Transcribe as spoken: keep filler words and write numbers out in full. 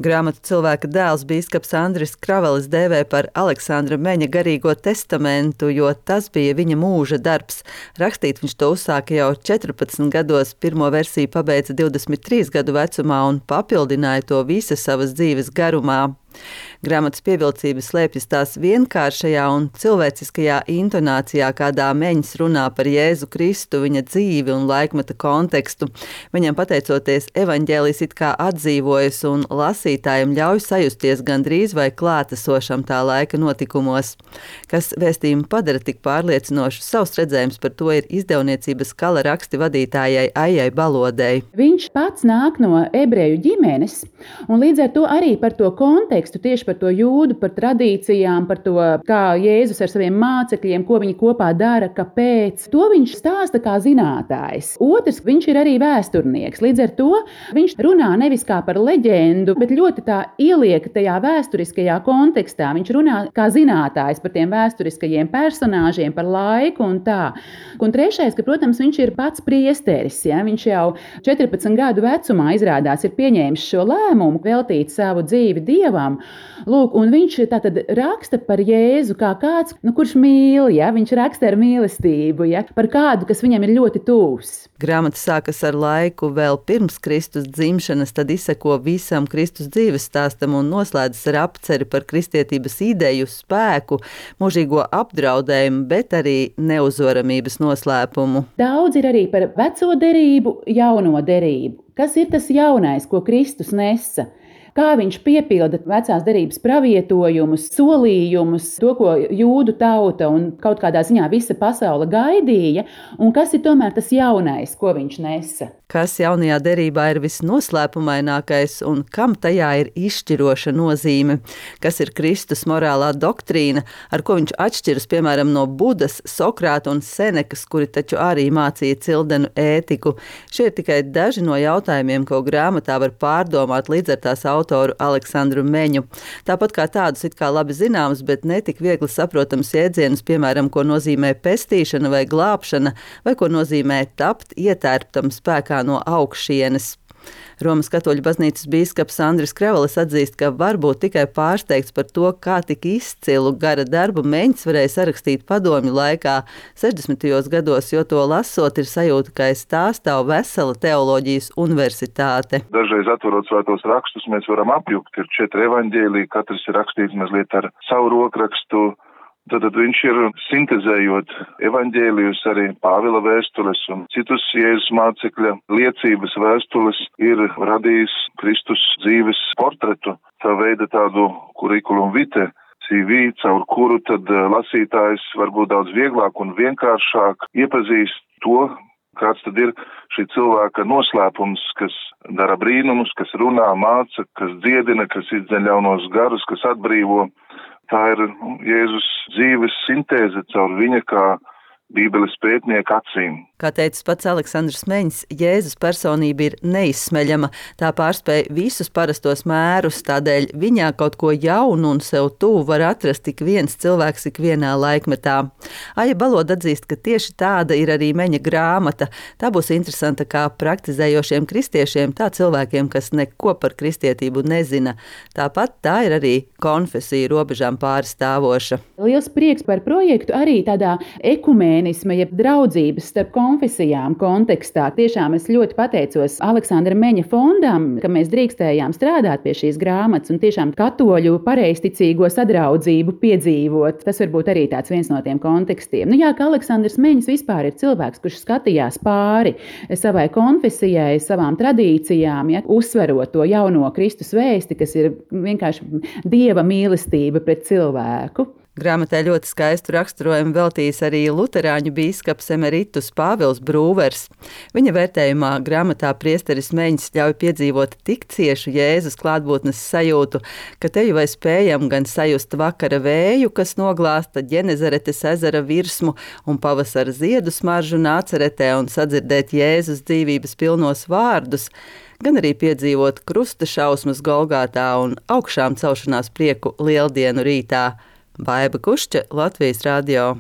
Grāmatu Cilvēka dēls bīskaps Andris Kravelis dēvē par Aleksandra Meņa garīgo testamentu, jo tas bija viņa mūža darbs. Rakstīt viņš to uzsāka jau četrpadsmit gados, pirmo versiju pabeidza divdesmit trīs gadu vecumā un papildināja to visas savas dzīves garumā. Grāmatas pievilcība slēpjas tās vienkāršajā un cilvēciskajā intonācijā, kādā Meņš runā par Jēzu Kristu, viņa dzīvi un laikmeta kontekstu. Viņam pateicoties, evaņģēlijs it kā atdzīvojas un lasītājiem ļauj sajusties gandrīz vai klātesošam tā laika notikumos. Kas vēstījumu padara tik pārliecinošu, savs redzējums par to ir izdevniecības Kala raksti vadītājai Aijai Balodei. Viņš pats nāk no ebreju ģimenes, un līdz ar to arī par to kontekstu, tieši par to jūdu, par tradīcijām, par to, kā Jēzus ar saviem mācekļiem, ko viņi kopā dara, kāpēc. To viņš stāsta kā zinātājs. Otrs, viņš ir arī vēsturnieks. Līdz ar to viņš runā nevis kā par leģendu, bet ļoti tā ieliek tajā vēsturiskajā kontekstā. Viņš runā kā zinātājs par tiem vēsturiskajiem personāžiem, par laiku un tā. Un trešais, ka, protams, viņš ir pats priesteris. Ja? Viņš jau četrpadsmit gadu vecumā izrādās ir pieņēmis šo lēmumu veltīt savu dzīvi Dievam. Lūk, un viņš tātad raksta par Jēzu kā kāds, nu, kurš mīl, ja? Viņš raksta ar mīlestību, ja? Par kādu, kas viņam ir ļoti tūs. Grāmata sākas ar laiku vēl pirms Kristus dzimšanas, tad izseko visam Kristus dzīves stāstam un noslēdzas ar apceri par kristietības ideju, spēku, mūžīgo apdraudējumu, bet arī neuzvaramības noslēpumu. Daudz ir arī par veco derību, jauno derību. Kas ir tas jaunais, ko Kristus nesa? Kā viņš piepilda vecās derības pravietojumus, solījumus, to, ko jūdu tauta un kaut kādā ziņā visa pasaule gaidīja, un kas ir tomēr tas jaunais, ko viņš nesa. Kas jaunajā derībā ir visnoslēpumainākais un kam tajā ir izšķiroša nozīme? Kas ir Kristus morālā doktrīna, ar ko viņš atšķiras, piemēram, no Budas, Sokrāta un Senekas, kuri taču arī mācīja cildenu ētiku? Šie ir tikai daži no jautājumiem, ko grāmatā var pārdomāt līdz ar tās autoru Aleksandru Meņu. Tāpat kā tādus it kā labi zināms, bet netik viegli saprotams jēdzienus, piemēram, ko nozīmē pestīšana vai glābšana, vai ko nozīmē tapt ietērptam spēkā no augšienes. Romas katoļu baznīcas bīskaps Andris Kravelis atzīst, ka var būt tikai pārsteigts par to, kā tik izcilu gara darbu Meņš varēja sarakstīt padomju laikā sešdesmitajos gados, jo to lasot ir sajūta, ka aiz tā stāv vesela teoloģijas universitāte. Dažreiz atverot svētos rakstus, mēs varam apjukt, ir četri evaņģēliji, katrs ir rakstīts mazliet ar savu rokrakstu. Tad viņš ir sintezējot evaņģēlijus, arī Pāvila vēstules un citus Jēzus mācekļa liecības vēstules, ir radījis Kristus dzīves portretu, tā veida tādu kurikulum vitae, C V, caur kuru tad lasītājs varbūt daudz vieglāk un vienkāršāk iepazīst to, kāds tad ir šī cilvēka noslēpums, kas dara brīnumus, kas runā, māca, kas dziedina, kas izdzen ļaunos garus, kas atbrīvo. Tā ir Jēzus dzīves sintēze caur viņa kā Bībeles pētnieka acīm. Kā teica pats Aleksandrs Meņš, Jēzus personība ir neizsmeļama, tā pārspēj visus parastos mērus, tādēļ viņā kaut ko jaunu un sev tuvu var atrast tik viens cilvēks ikvienā laikmetā. Aija Baloda atzīst, ka tieši tāda ir arī Meņa grāmata. Tā būs interesanta kā praktizējošiem kristiešiem, tā cilvēkiem, kas neko par kristietību nezina. Tāpat tā ir arī konfesija robežām pārstāvoša. Liels prieks par projektu arī tādā ekumēnisma, jeb draudzības starp konfesijām kontekstā. Tiešām es ļoti pateicos Aleksandra Meņa fondam, ka mēs drīkstējām strādāt pie šīs grāmatas un tiešām katoļu pareizticīgo sadraudzību piedzīvot. Tas varbūt arī tāds viens no tiem kontekstiem. Nu jā, ka Aleksandrs Meņš vispār ir cilvēks, kurš skatījās pāri savai konfesijai, savām tradīcijām, ja, uzsverot to jauno Kristus vēsti, kas ir vienkārši Dieva mīlestība pret cilvēku. Grāmatai ļoti skaistu raksturojumu veltījis arī luterāņu bīskaps emeritus Pāvils Brūvers. Viņa vērtējumā grāmatā priesteris Meņš ļauj piedzīvot tik ciešu Jēzus klātbūtnes sajūtu, ka te jau vai spējam gan sajust vakara vēju, kas noglāsta Ģenezaretes ezera virsmu un pavasara ziedu smaržu Nāceretē un sadzirdēt Jēzus dzīvības pilnos vārdus, gan arī piedzīvot krusta šausmas Golgātā un augšām celšanās prieku lieldienu rītā. Baiba Kušķa, Latvijas radio.